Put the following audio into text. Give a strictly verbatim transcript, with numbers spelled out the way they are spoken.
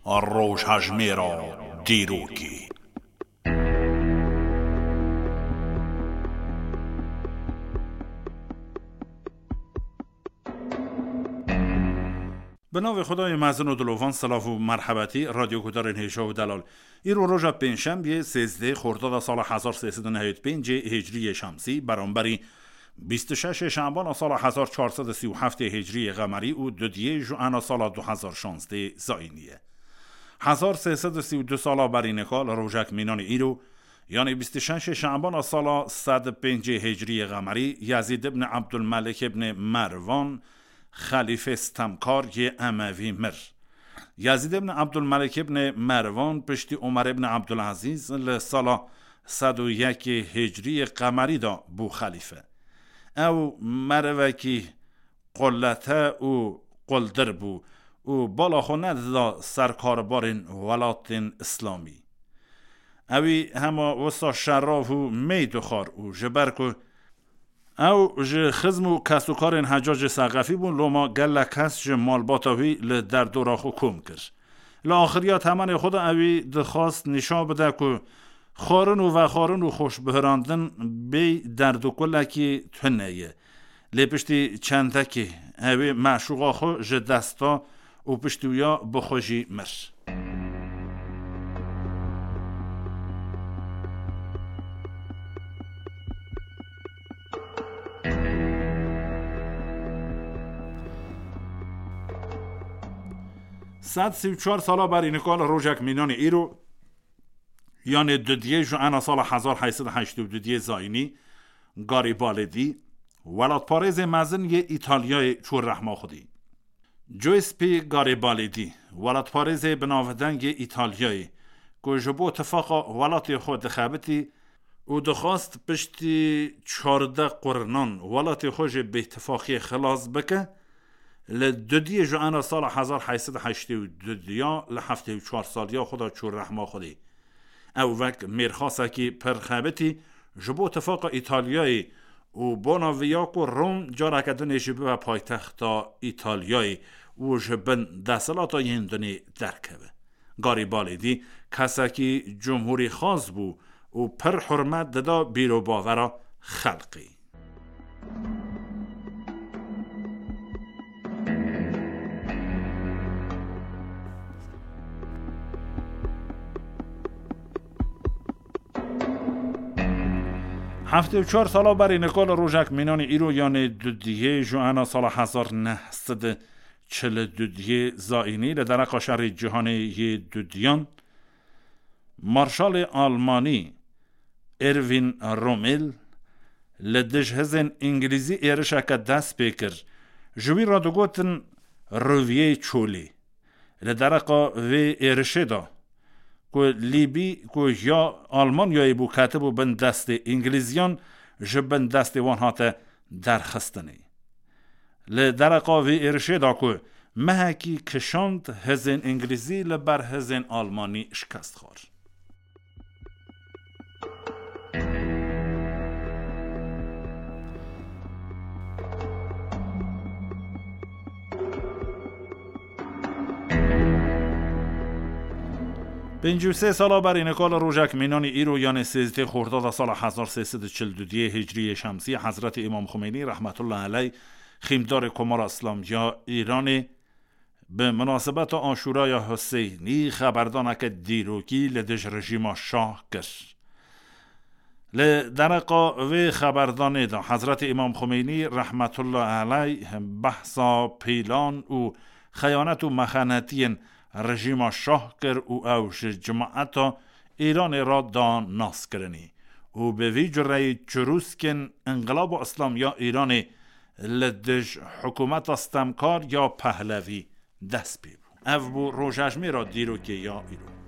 Rojhejmêra dîrokê. Bi navê Xwedayê mezin û dilovan, silav û merhebetî, radyoguhdarên hêja û delal. Îro roja pêncşembiyê, sêzdehê xordada sala hezar sê sed û neheyê û pêncê hicriyê şemsî, beramberî bîst û şeşê şembana sala hezar çar sed û sî û heftê hicriyê qemerî û dudiyê juana sala du hezar şazdehê zayînî ye. Hezar sê sed û sî û du sala berî nika li rojek mînanê îro, yanî bîst û şeşê şembana sala sed û pêncê hicriyê qemerî, Yezîd ibn Ebdulmelik ibn Merwan, xelîfê stemkar yê Emevî mir. Yezîd ibn Ebdulmelik ibn Merwan piştî Omer ibn Ebdulezîz li sala sed û yekê hicriyê qemerî de bû xelîfe. Ew merivekî qulete û quldir bû û bala xwe nedida ser karbarên welatên îslamî. Ewî hema wisa şerav û mey dixwar û ji ber ku ew ji xizm û kesûkarên Hecacê Seqefî bûn, loma gelek kes ji malbata wî li derdora xwe kom kir. Li axiriya temenê xwe de ewî dixwast nîşan bide ku xwarin û vexwarin û xweşbihirandin bêy derd û kulekî tune ye. Lê piştî çendekê ewê meşûqa xwe ji dest da û piştî wîya bi xwe jî mir. Sed sî û çar sala berî nika li rojek mînanê îro, yanê dudiyê ji ena sala hezar heyt sed û heştê û dudiyê zayînî, Garibaldi, welatparêzê mezin yê Îtalyayê çû rehma Xwedî. Giuseppe Garibaldi, welatparêzê bi navdeng yê Îtalyayê, ku ji bo tifaqa welatê xwe dixebitî û dixwast piştî çardeh qurnan welatê xwe ji bêtifaqiyê xilas bike, li dudiyê ji ena sala hezar heyt sed û heştê û du diya li heftê û çar saliya xwe de çû rehma Xwedê. Ew wek mêrxasekî pir xebitî ji bo tifaqa Îtalyayê û bona viya ku Rom careke dinê jî bibe paytexta Îtalyayê û ji bin desthilata yên dinê derkeve. Garibaldi kesekî cumhûrîxwaz bû û pir hurmet dida bîr û bavera xelkê. Heftê û çar sala berî nika li rojek mînanî îro, yanê dudiyê ji ena sala hezar neh sed û çil û dudiyê zayînî, li dereqa şerê cîhanê yê dudiyan, Marşalê Almanî Erwin Rommel li dij hizên Îngilîzî êrişeke dest pê kir. Ji wî re digotin Riviyê Çolê. Li dereqa vê êrişê de ku Lîbî ku ya Almanyayê bû, ketibû bin destê Îngilîziyan, ji bin destê wan hate derxistinê. Li dereqa vê êrişê de ku mehekî kişand, hizên Îngilîzî li ber hizên Almanî şikest xwar. Pêncî û sê sala berî nika li rojek mînanî îro, yanê sêzdehê xordada sala hezar sê sed û çil û duyê hicriyê şemsî, Hezretî Îmam Xumeynî rehmetullah eleyh, xîmdarê Komara Îslamî ya Îranê, bi munasebeta Aşûraya Huseynî xeberdaneke dîrokî li dij rejîma şah kir. Li dereqa vê xeberdanê de Hezretî Îmam Xumeynî rehmetullah eleyh behsa pîlan û xeyanet û mexenetiyên rejîma şah kir û ew ji cimaeta Îranê re da naskirinî û bi vî cureyî çirûskên Înqilaba Îslamî ya Îranê li dij hikûmeta stemkar ya Pehlevî dest pê bû. Ev bû rojejmêra dîrokê ya îro.